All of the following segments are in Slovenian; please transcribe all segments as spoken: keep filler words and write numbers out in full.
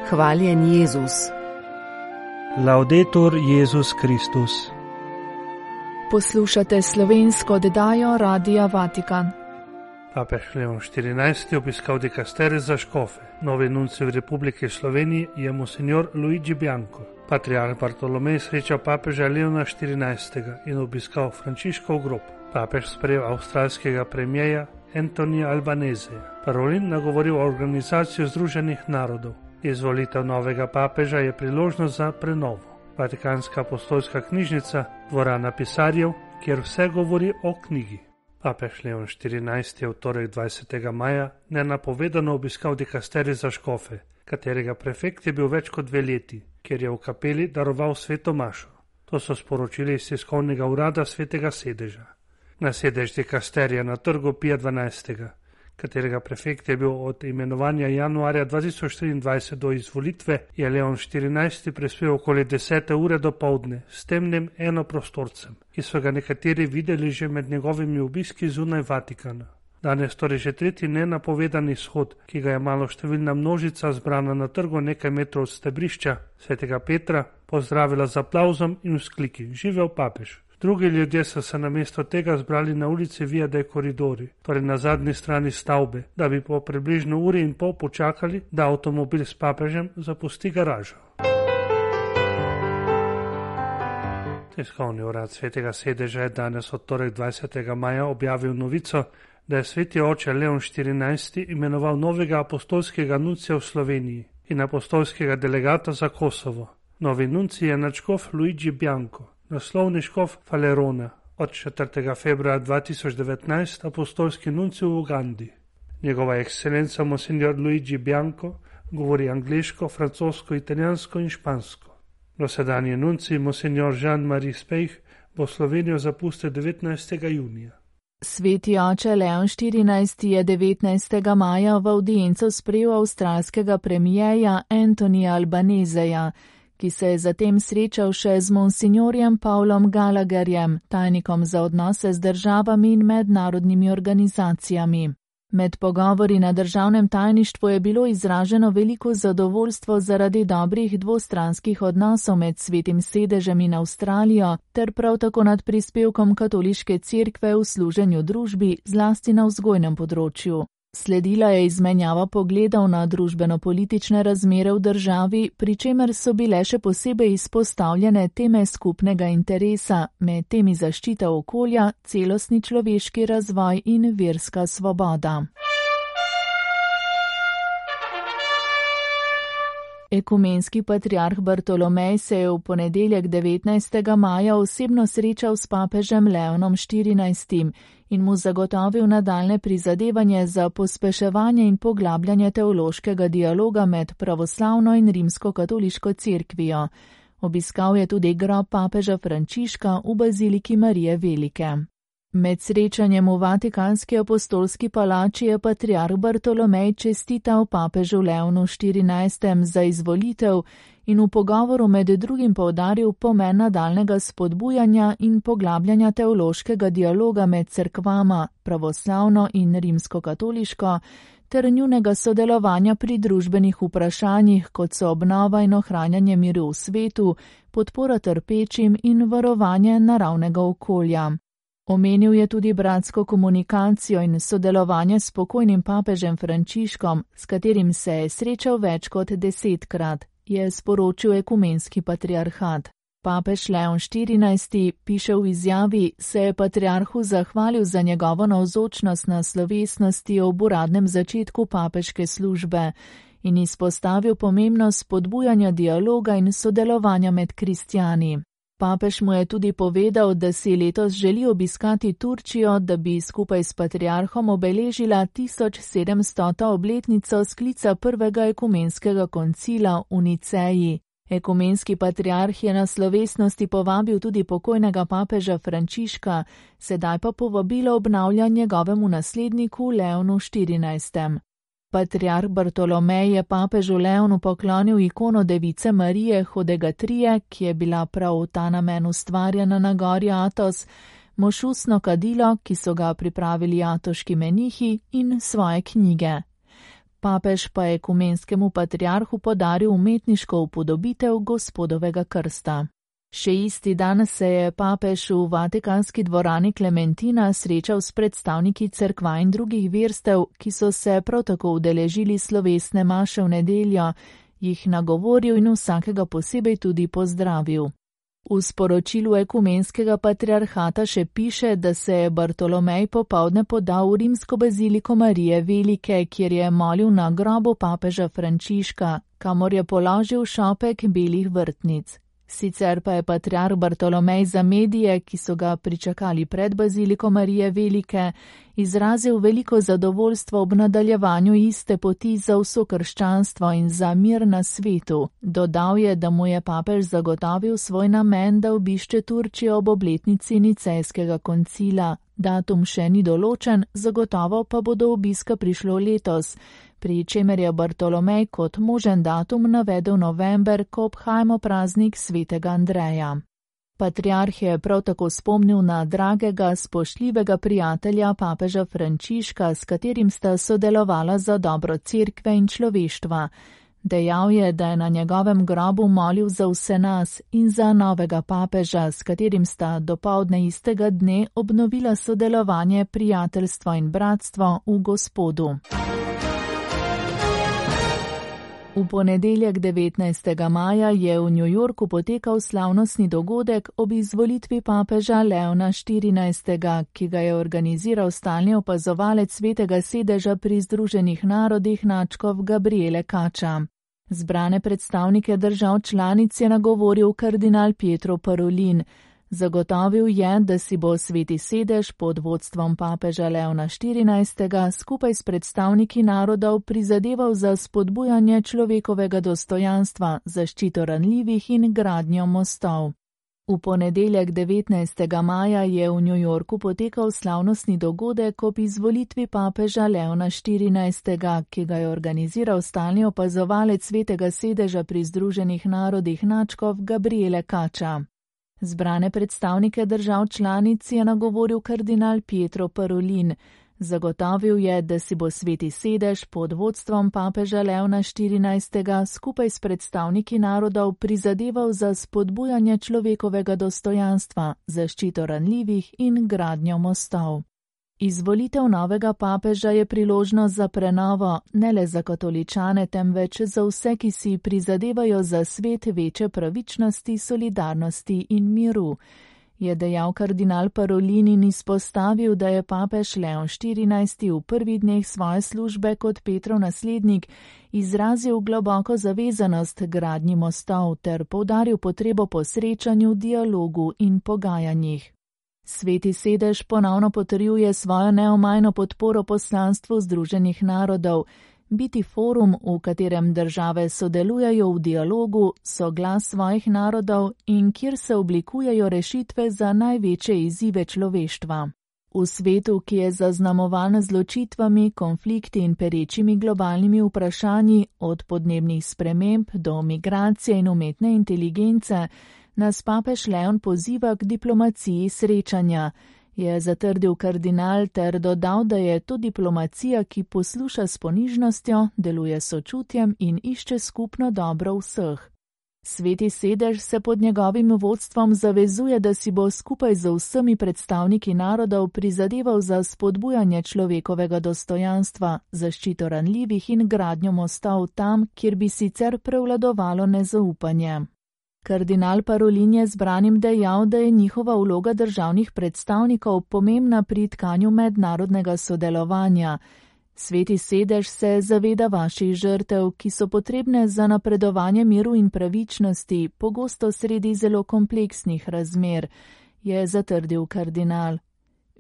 Hvaljen Jezus. Laudetur Jezus Kristus. Poslušate slovensko oddajo Radia Vatikan. Papež Leon štirinajsti obiskal dikasterij za škofe. Novi nuncij v Republiki Sloveniji je monsignor Luigi Bianco. Patriarh Bartolomej srečal papeža Leona štirinajstega in obiskal Frančiškov grob. Papež sprejel avstralskega premijeja Antonija Albaneseja. Parolin nagovoril Organizacijo Združenih narodov. Izvolitev novega papeža je priložnost za prenovo. Vatikanska apostolska knjižnica, dvorana pisarjev, kjer vse govori o knjigi. Papež Leon štirinajsti je v torek dvajsetega maja nenapovedano obiskal dikasterij za škofe, katerega prefekt je bil več kot dve leti, kjer je v kapeli daroval sveto mašo. To so sporočili iz tiskovnega urada svetega sedeža. Na sedež dikasterija na trgu Pija dvanajstega, katerega prefekt je bil od imenovanja januarja dva tisoč triindvajset do izvolitve, je Leon štirinajsti prispel okoli desete ure do povdne s temnim enoprostorcem, ki so ga nekateri videli že med njegovimi obiski zunaj Vatikana. Danes torej že tretji nenapovedan izhod, ki ga je maloštevilna množica zbrana na trgu nekaj metrov od stebrišča svetega Petra pozdravila z aplavzom in vzkliki: Živel papež! Drugi ljudje so se namesto tega zbrali na ulici Via dei Corridori, torej na zadnji strani stavbe, da bi po približno uri in pol počakali, da avtomobil s papežem zapusti garažo. Tiskovni urad svetega sedeža je danes od torek dvajsetega maja objavil novico, da je sveti oče Leon štirinajsti imenoval novega apostolskega nuncija v Sloveniji in apostolskega delegata za Kosovo. Novi nuncij je nadškof Luigi Bianco, naslovni škof Falerona, od četrtega februarja dva tisoč devetnajst apostolski nuncij v Ugandi. Njegova ekscelenca monsignor Luigi Bianco govori angliško, francosko, italijansko in špansko. Dosedanji nuncij monsignor Jean-Marie Spejh bo Slovenijo zapustil devetnajstega junija. Sveti oče Leon štirinajsti je devetnajstega maja v avdienco sprejel avstralskega premijeja Antonija Albaneseja, ki se je zatem srečal še z monsignorjem Paulom Gallagherjem, tajnikom za odnose z državami in mednarodnimi organizacijami. Med pogovori na državnem tajništvu je bilo izraženo veliko zadovoljstvo zaradi dobrih dvostranskih odnosov med svetim sedežem in Avstralijo, ter prav tako nad prispevkom katoliške cerkve v služenju družbi, zlasti na vzgojnem področju. Sledila je izmenjava pogledov na družbeno-politične razmere v državi, pri čemer so bile še posebej izpostavljene teme skupnega interesa, med temi zaščita okolja, celostni človeški razvoj in verska svoboda. Ekumenski patriarh Bartolomej se je v ponedeljek devetnajstega maja osebno srečal s papežem Leonom štirinajstim in mu zagotovil nadaljne prizadevanje za pospeševanje in poglabljanje teološkega dialoga med pravoslavno in rimsko-katoliško cerkvijo. Obiskal je tudi grob papeža Frančiška v baziliki Marije Velike. Med srečanjem v Vatikanski apostolski palači je patriarh Bartolomej čestital papežu Leonu štirinajstem za izvolitev in v pogovoru med drugim poudaril pomen nadaljnega spodbujanja in poglabljanja teološkega dialoga med cerkvama, pravoslavno in rimsko-katoliško, ter njunega sodelovanja pri družbenih vprašanjih, kot so obnova in ohranjanje miru v svetu, podpora trpečim in varovanje naravnega okolja. Omenil je tudi bratsko komunikacijo in sodelovanje s pokojnim papežem Frančiškom, s katerim se je srečal več kot desetkrat, je sporočil ekumenski patriarhat. Papež Leon štirinajsti, piše v izjavi, se je patriarhu zahvalil za njegovo navzočnost na slovesnosti ob uradnem začetku papeške službe in izpostavil pomembnost spodbujanja dialoga in sodelovanja med kristjani. Papež mu je tudi povedal, da si letos želi obiskati Turčijo, da bi skupaj s patriarhom obeležila tisoč sedemstota obletnico sklica prvega ekumenskega koncila v Niceji. Ekumenski patriarh je na slovesnosti povabil tudi pokojnega papeža Frančiška, sedaj pa povabilo obnavlja njegovemu nasledniku Leonu štirinajstem. Patriarh Bartolomej je papežu Leonu poklonil ikono device Marije Hodegatrije, ki je bila prav v ta namen ustvarjena na gori Atos, mošusno kadilo, ki so ga pripravili atoški menihi, in svoje knjige. papež pa je ekumenskemu patriarhu podaril umetniško upodobitev Gospodovega krsta. Še isti dan se je papež v vatikanski dvorani Klementina srečal s predstavniki cerkva in drugih verstev, ki so se prav tako udeležili slovesne maše v nedeljo, jih nagovoril in vsakega posebej tudi pozdravil. V sporočilu ekumenskega patriarhata še piše, da se je Bartolomej popoldne podal v rimsko baziliko Marije Velike, kjer je molil na grobu papeža Frančiška, kamor je položil šopek belih vrtnic. Sicer pa je patriarh Bartolomej za medije, ki so ga pričakali pred baziliko Marije Velike, izrazil veliko zadovoljstvo ob nadaljevanju iste poti za vso krščanstvo in za mir na svetu. Dodal je, da mu je papež zagotovil svoj namen, da obišče Turčijo ob obletnici Nicejskega koncila. Datum še ni določen, zagotovo pa bo do obiska prišlo letos, pri čemer je Bartolomej kot možen datum navedel november, ko obhajamo praznik svetega Andreja. Patriarh je prav tako spomnil na dragega, spoštljivega prijatelja papeža Frančiška, s katerim sta sodelovala za dobro cerkve in človeštva. Dejal je, da je na njegovem grobu molil za vse nas in za novega papeža, s katerim sta dopoldne istega dne obnovila sodelovanje, prijateljstvo in bratstvo v Gospodu. V ponedeljek devetnajstega maja je v New Yorku potekal slavnostni dogodek ob izvolitvi papeža Leona štirinajstega, ki ga je organiziral stalni opazovalec Svetega sedeža pri Združenih narodih nadškof Gabriele Kača. Zbrane predstavnike držav članic je nagovoril kardinal Pietro Parolin. Zagotovil je, da si bo Sveti sedež pod vodstvom papeža Leona štirinajstega skupaj s predstavniki narodov prizadeval za spodbujanje človekovega dostojanstva, zaščito ranljivih in gradnjo mostov. V ponedeljek devetnajstega maja je v New Yorku potekal slavnostni dogodek ob izvolitvi papeža Leona štirinajstega, ki ga je organiziral stalni opazovalec Svetega sedeža pri Združenih narodih nadškof Gabriele Kača. Zbrane predstavnike držav članic je nagovoril kardinal Pietro Parolin. Zagotovil je, da si bo Sveti sedež pod vodstvom papeža Leona štirinajstega skupaj s predstavniki narodov prizadeval za spodbujanje človekovega dostojanstva, zaščito ranljivih in gradnjo mostov. Izvolitev novega papeža je priložnost za prenovo, ne le za katoličane, temveč za vse, ki si prizadevajo za svet večje pravičnosti, solidarnosti in miru, je dejal kardinal Parolin in izpostavil, da je papež Leon štirinajsti v prvih dneh svoje službe kot Petrov naslednik izrazil globoko zavezanost gradnji mostov ter poudaril potrebo po srečanju, dialogu in pogajanjih. Sveti sedež ponovno potrjuje svojo neomajno podporo poslanstvu Združenih narodov, biti forum, v katerem države sodelujejo v dialogu, so glas svojih narodov in kjer se oblikujejo rešitve za največje izzive človeštva. V svetu, ki je zaznamovan z ločitvami, konflikti in perečimi globalnimi vprašanji, od podnebnih sprememb do migracije in umetne inteligence, nas papež Leon poziva k diplomaciji srečanja, je zatrdil kardinal ter dodal, da je to diplomacija, ki posluša s ponižnostjo, deluje s sočutjem in išče skupno dobro vseh. Sveti sedež se pod njegovim vodstvom zavezuje, da si bo skupaj z vsemi predstavniki narodov prizadeval za spodbujanje človekovega dostojanstva, zaščito ranljivih in gradnjo mostov tam, kjer bi sicer prevladovalo nezaupanje. Kardinal Parolin je zbranim dejal, da je njihova vloga državnih predstavnikov pomembna pri tkanju mednarodnega sodelovanja. Sveti sedež se zaveda vaših žrtev, ki so potrebne za napredovanje miru in pravičnosti, pogosto sredi zelo kompleksnih razmer, je zatrdil kardinal.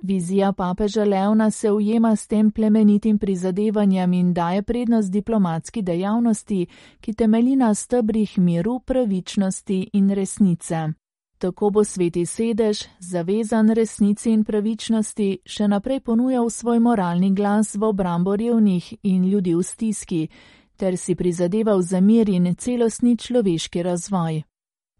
Vizija papeža Leona se ujema s tem plemenitim prizadevanjem in daje prednost diplomatski dejavnosti, ki temelji na stebrih miru, pravičnosti in resnice. Tako bo Sveti sedež, zavezan resnici in pravičnosti, še naprej ponujal svoj moralni glas v obrambo revnih in ljudi v stiski, ter si prizadeval za mir in celostni človeški razvoj.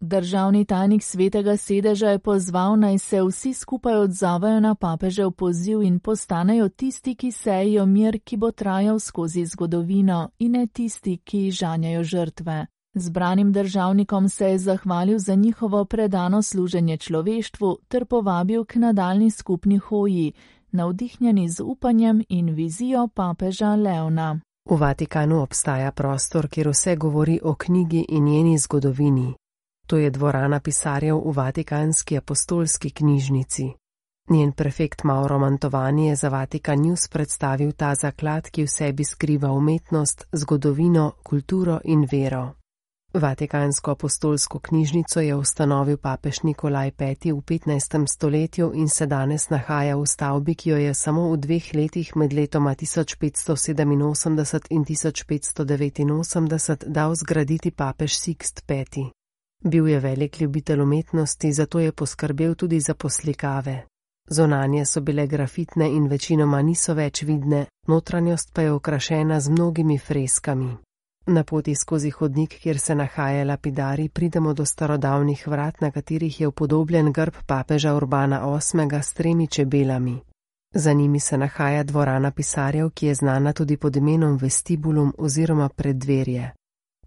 Državni tajnik Svetega sedeža je pozval, naj se vsi skupaj odzovejo na papežev poziv in postanejo tisti, ki sejejo mir, ki bo trajal skozi zgodovino, in ne tisti, ki žanjajo žrtve. Zbranim državnikom se je zahvalil za njihovo predano služenje človeštvu ter povabil k nadaljnji skupni hoji, navdihnjeni z upanjem in vizijo papeža Leona. V Vatikanu obstaja prostor, kjer vse govori o knjigi in njeni zgodovini. To je dvorana pisarjev v Vatikanski apostolski knjižnici. Njen prefekt Mauro Mantovani je za Vatikan News predstavil ta zaklad, ki v sebi skriva umetnost, zgodovino, kulturo in vero. Vatikansko apostolsko knjižnico je ustanovil papež Nikolaj peti v petnajstem stoletju in se danes nahaja v stavbi, ki jo je samo v dveh letih med letoma tisoč petsto sedeminosemdeset in tisoč petsto devetinosemdeset dal zgraditi papež Sikst peti. Bil je velik ljubitelj umetnosti, zato je poskrbel tudi za poslikave. Zonanje so bile grafitne in večinoma niso več vidne, notranjost pa je okrašena z mnogimi freskami. Na poti skozi hodnik, kjer se nahaja lapidari, pridemo do starodavnih vrat, na katerih je upodobljen grb papeža Urbana osmega s tremi čebelami. Za njimi se nahaja dvorana pisarjev, ki je znana tudi pod imenom vestibulum oziroma preddverje.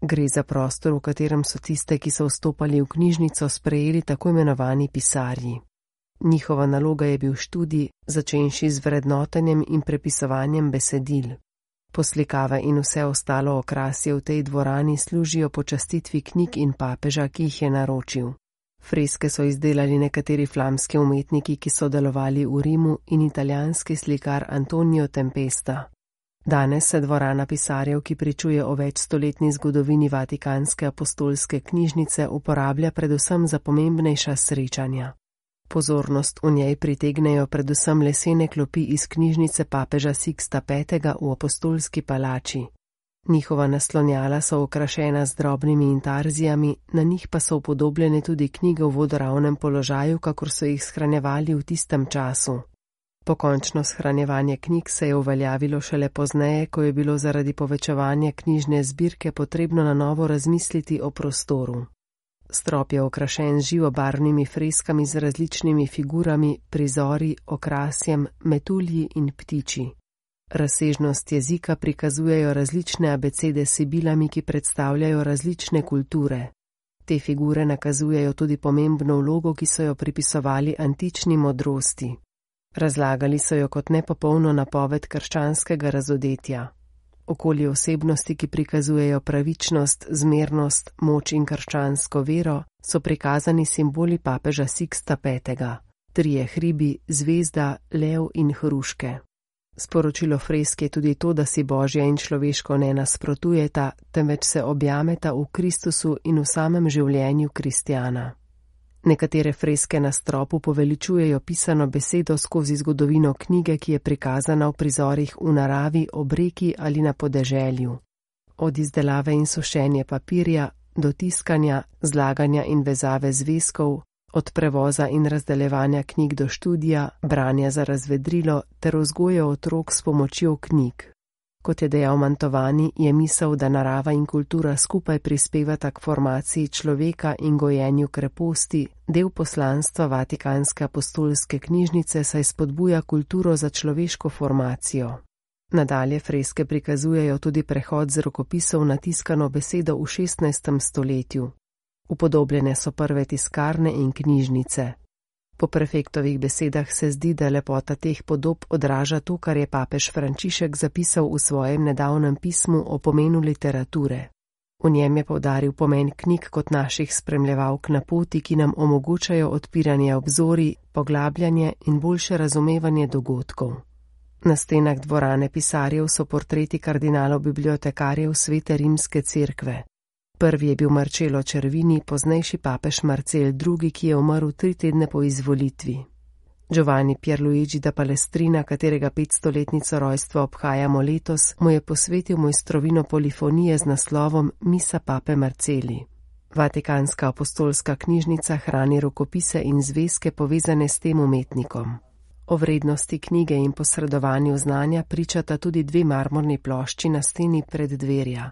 Gre za prostor, v katerem so tiste, ki so vstopali v knjižnico, sprejeli tako imenovani pisarji. Njihova naloga je bil študij, začenši z vrednotenjem in prepisovanjem besedil. Poslikave in vse ostalo okrasje v tej dvorani služijo počastitvi knjig in papeža, ki jih je naročil. Freske so izdelali nekateri flamski umetniki, ki so delovali v Rimu, in italijanski slikar Antonio Tempesta. Danes se dvorana pisarjev, ki pričuje o večstoletni zgodovini Vatikanske apostolske knjižnice, uporablja predvsem za pomembnejša srečanja. Pozornost v njej pritegnejo predvsem lesene klopi iz knjižnice papeža Siksta petega v apostolski palači. Njihova naslonjala so okrašena z drobnimi intarzijami, na njih pa so upodobljene tudi knjige v vodoravnem položaju, kakor so jih shranjevali v tistem času. Pokončno shranjevanje knjig se je uveljavilo šele pozneje, ko je bilo zaradi povečevanja knjižne zbirke potrebno na novo razmisliti o prostoru. Strop je okrašen z živobarvnimi freskami z različnimi figurami, prizori, okrasjem, metulji in ptiči. Razsežnost jezika prikazujejo različne abecede s sibilami, ki predstavljajo različne kulture. Te figure nakazujejo tudi pomembno vlogo, ki so jo pripisovali antični modrosti. Razlagali so jo kot nepopolno napoved krščanskega razodetja. Okoli osebnosti, ki prikazujejo pravičnost, zmernost, moč in krščansko vero, so prikazani simboli papeža Siksta petega. Trije hribi, zvezda, lev in hruške. Sporočilo freske je tudi to, da si Božje in človeško ne nasprotujeta, temveč se objameta v Kristusu in v samem življenju kristjana. Nekatere freske na stropu poveličujejo pisano besedo skozi zgodovino knjige, ki je prikazana v prizorih v naravi, ob reki ali na podeželju. Od izdelave in sušenja papirja, do tiskanja, zlaganja in vezave zvezkov, od prevoza in razdeljevanja knjig do študija, branja za razvedrilo ter vzgoje otrok s pomočjo knjig. Kot je dejal Mantovani, je misel, da narava in kultura skupaj prispevata k formaciji človeka in gojenju kreposti, del poslanstva Vatikanske apostolske knjižnice, saj spodbuja kulturo za človeško formacijo. Nadalje freske prikazujejo tudi prehod z rokopisov na tiskano besedo v šestnajstem stoletju. Upodobljene so prve tiskarne in knjižnice. Po prefektovih besedah se zdi, da lepota teh podob odraža to, kar je papež Frančišek zapisal v svojem nedavnem pismu o pomenu literature. V njem je poudaril pomen knjig kot naših spremljevalk na poti, ki nam omogočajo odpiranje obzorij, poglabljanje in boljše razumevanje dogodkov. Na stenah dvorane pisarjev so portreti kardinalov bibliotekarjev Svete rimske cerkve. Prvi je bil Marcello Cervini, poznejši papež Marcel drugi, ki je umrl tri tedne po izvolitvi. Giovanni Pierluigi da Palestrina, katerega petstoletnico rojstva obhajamo letos, mu je posvetil mojstrovino polifonije z naslovom Misa pape Marceli. Vatikanska apostolska knjižnica hrani rokopise in zvezke povezane s tem umetnikom. O vrednosti knjige in posredovanju znanja pričata tudi dve marmorni plošči na steni preddverja.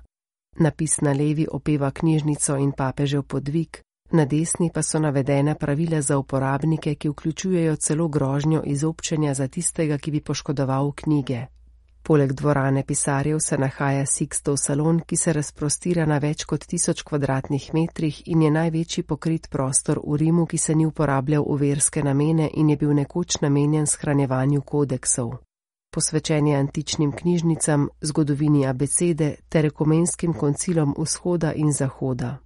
Napis na levi opeva knjižnico in papežev podvig, Na desni pa so navedena pravila za uporabnike, ki vključujejo celo grožnjo izobčenja za tistega, ki bi poškodoval knjige. Poleg dvorane pisarjev se nahaja Sixtov salon, ki se razprostira na več kot tisoč kvadratnih metrih in je največji pokrit prostor v Rimu, ki se ni uporabljal v verske namene in je bil nekoč namenjen shranjevanju kodeksov. Posvečen je antičnim knjižnicam, zgodovini abecede ter ekumenskim koncilom vzhoda in zahoda.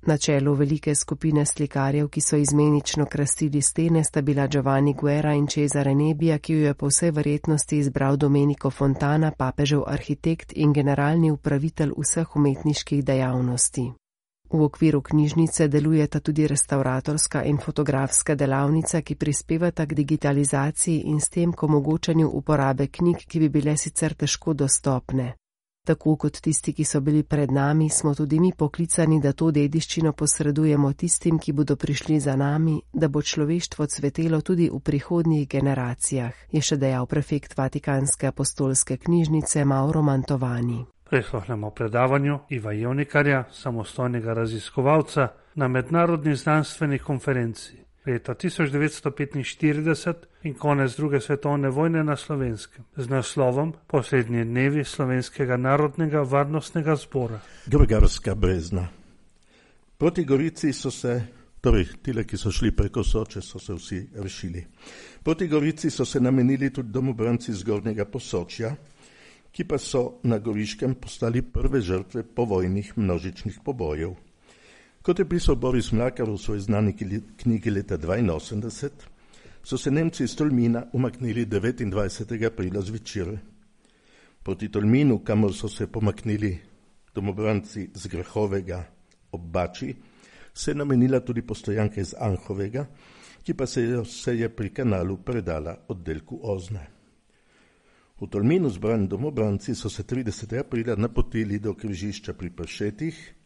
Na čelu velike skupine slikarjev, ki so izmenično krasili stene, sta bila Giovanni Guerra in Cesare Nebbia, ki jo je po vsej verjetnosti izbral Domenico Fontana, papežev arhitekt in generalni upravitelj vseh umetniških dejavnosti. V okviru knjižnice delujeta tudi restavratorska in fotografska delavnica, ki prispevata k digitalizaciji in s tem k omogočanju uporabe knjig, ki bi bile sicer težko dostopne. Tako kot tisti, ki so bili pred nami, smo tudi mi poklicani, da to dediščino posredujemo tistim, ki bodo prišli za nami, da bo človeštvo cvetelo tudi v prihodnjih generacijah, je še dejal prefekt Vatikanske apostolske knjižnice Mauro Mantovani. Prisluhnemo predavanju Iva Jevnikarja, samostojnega raziskovalca na mednarodni znanstveni konferenci leta tisoč devetsto petinštirideset in konec druge svetovne vojne na Slovenskem z naslovom Poslednji dnevi Slovenskega narodnega varnostnega zbora. Grgarska brezna. Proti Gorici so se, torej tile, ki so šli preko Soče, so se vsi rešili. Proti Gorici so se namenili tudi domobranci Zgornjega Posočja, ki pa so na Goriškem postali prve žrtve povojnih množičnih pobojev. Kot je pisal Boris Mlakar v svoji znani knjigi leta dvainosemdeset, so se Nemci iz Tolmina umaknili devetindvajsetega aprila zvečer. Proti Tolminu, kamor so se pomaknili domobranci z Grahovega ob Bači, se je namenila tudi postojanka iz Anhovega, ki pa se je, se je pri kanalu predala oddelku Ozne. V Tolminu zbrani domobranci so se tridesetega aprila napotili do križišča pri Pršetih,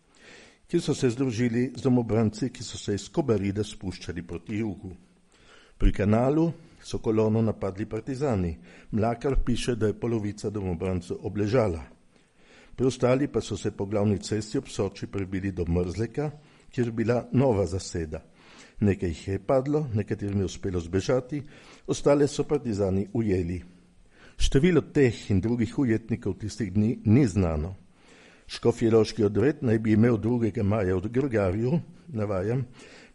ki so se združili z domobranci, ki so se iz Kobarida spuščali proti jugu. Pri kanalu so kolono napadli partizani. Mlakar piše, da je polovica domobrancev obležala. Preostali pa so se po glavni cesti ob Soči prebili do Mrzleka, kjer je bila nova zaseda. Nekaj jih je padlo, nekaterim je uspelo zbežati, ostale so partizani ujeli. Število teh in drugih ujetnikov tistih dni ni znano. Škofjeloški odred naj bi imel drugega maja v Grgarju, navajam,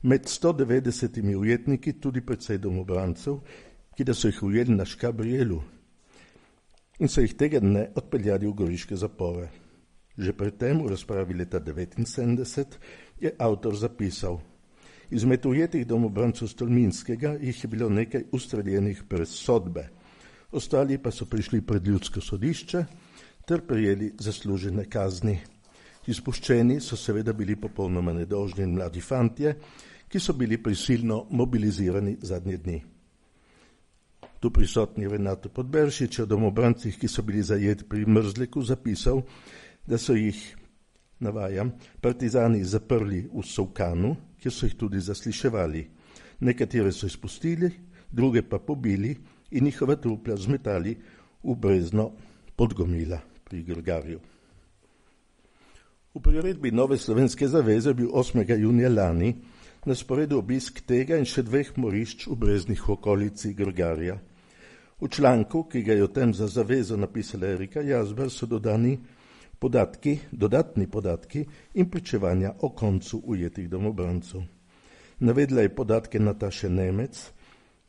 med sto devetdesetimi ujetniki tudi precej domobrancev, ki da so jih ujeli na Škabrijelu in so jih tega dne odpeljali v goriške zapore. Že predtem, v razpravi leta devetinsedemdeset, je avtor zapisal: izmed ujetih domobrancev Stolminskega jih je bilo nekaj ustreljenih brez sodbe, ostali pa so prišli pred ljudsko sodišče ter prejeli zaslužene kazni. Izpuščeni so seveda bili popolnoma nedolžni in mladi fantje, ki so bili prisilno mobilizirani zadnje dni. Tu prisotni Renato Podberšič o domobrancih, ki so bili zajeti pri Mrzleku, zapisal, da so jih, navajam, partizani zaprli v Sovkanu, kjer so jih tudi zasliševali. Nekatere so izpustili, druge pa pobili in njihova trupla zmetali v brezno Podgomila pri Grgarju. V priredbi Nove slovenske zaveze bil osmega junija lani na sporedu obisk tega in še dveh morišč v breznih okolici Grgarja. V članku, ki ga je o tem za zavezo napisala Erika Jazber, so dodani podatki, dodatni podatki in pričevanja o koncu ujetih domobrancev. Navedla je podatke Nataše Nemec,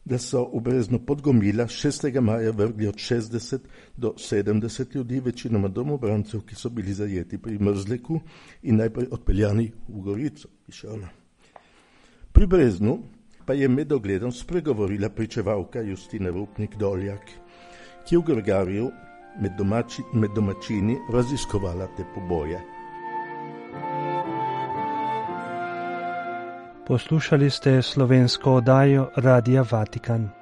da so v brezno Podgomila šestega maja vrgli od šestdeset do sedemdeset ljudi, večinoma domobrancev, ki so bili zajeti pri Mrzleku in najprej odpeljani v Gorico, piše ona. Pri breznu pa je med ogledom spregovorila pričevalka Justina Rupnik-Doljak, ki je v Grgarju med, domači, med domačini raziskovala te poboje. Poslušali ste slovensko oddajo Radia Vatikan.